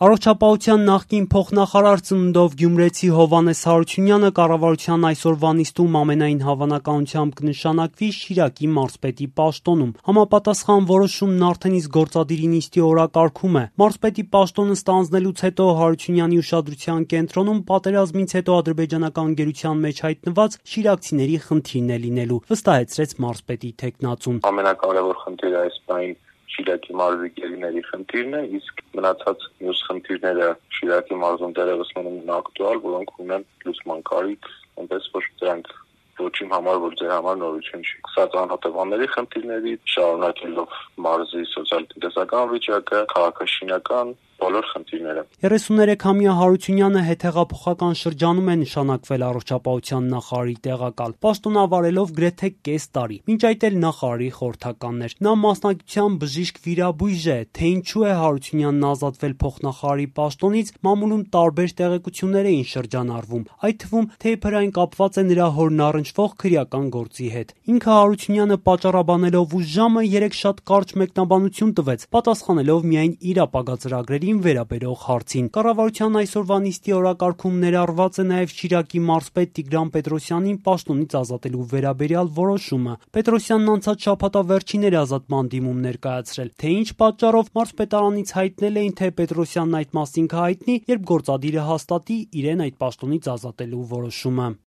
Առողջապահության նախկին փոխնախարար ծննդով գյումրեցի Հովհաննես Հարությունյանը կառավարության այսօրվա նիստում ամենայն հավանականությամբ կնշանակվի Շիրակի մարզպետի պաշտոնում։ Համապատասխան որոշումն արդեն իսկ գործադիրի նիստի օրակարգում է։ Մարզպետի պաշտոնը ստանձնելուց հետո Հարությունյանի ուշադրության կենտրոնում պատերազմից հետո ադրբեջանական գերության մեջ հայտնված շիրակցիների խնդիրն է լինելու, վստահեցրեց մարզպետի թեկնածուն։ Ամենակարևոր խնդիրը այս պահին Շիրակի մարզի գերիների խնդիրն է, իսկ մնացած մյուս խնդիրները Շիրակի մարզում դեռևս մնում են ակտուալ, որոնք ունեն լուծման կարիք, այնպես որ դրանք ոչինչ համար, որ ձեր համար նորություն չի։ Սկսած անհատականների խնդիրների, շարունակելով մարզի սոցիալ-տնտեսական վիճակը, քաղաքաշինական բոլոր խնդիրները։ 33-ամյա Հարությունյանը հետհեղափոխական շրջանում է նշանակվել առողջապահության նախարարի տեղակալ, պաշտոնավարելով գրեթե կես տարի, մինչ այդ էլ նախարարի խորհրդականն էր։ Նա մասնակցությամբ բժիշկ վիրաբույժ է, թե ինչու է Հարությունյանն ազատվել փոխնախարարի պաշտոնից, մամուլում տարբեր տեղեկություններ էին շրջանառվում, այդ թվում թե իբր այն կապված է նրա հորն առնչվող քրեական գործի հետ։ Ինքը Հարությունյանը պատճառաբանելով ու ժամը 3 շատ կարճ մեկնաբանություն տվեց, պատասխանելով միայն իր ապագա ծրագրերին վերաբերող հարցին։ Կառավարության այսօրվա նիստի օրակարգում ներառված է նաև Շիրակի մարզպետ Տիգրան Պետրոսյանին պաշտոնից ազատելու վերաբերյալ որոշումը։ Պետրոսյանն անցած շաբաթավերջին էր ազատման դիմում ներկայացրել, թե ինչ պատճառով մարզպետարանից հայտնել էին, թե Պետրոսյանն այդ մասին կհայտնի, երբ գործադիրը հաստատի իրեն այդ պաշտոնից ազատելու որոշումը։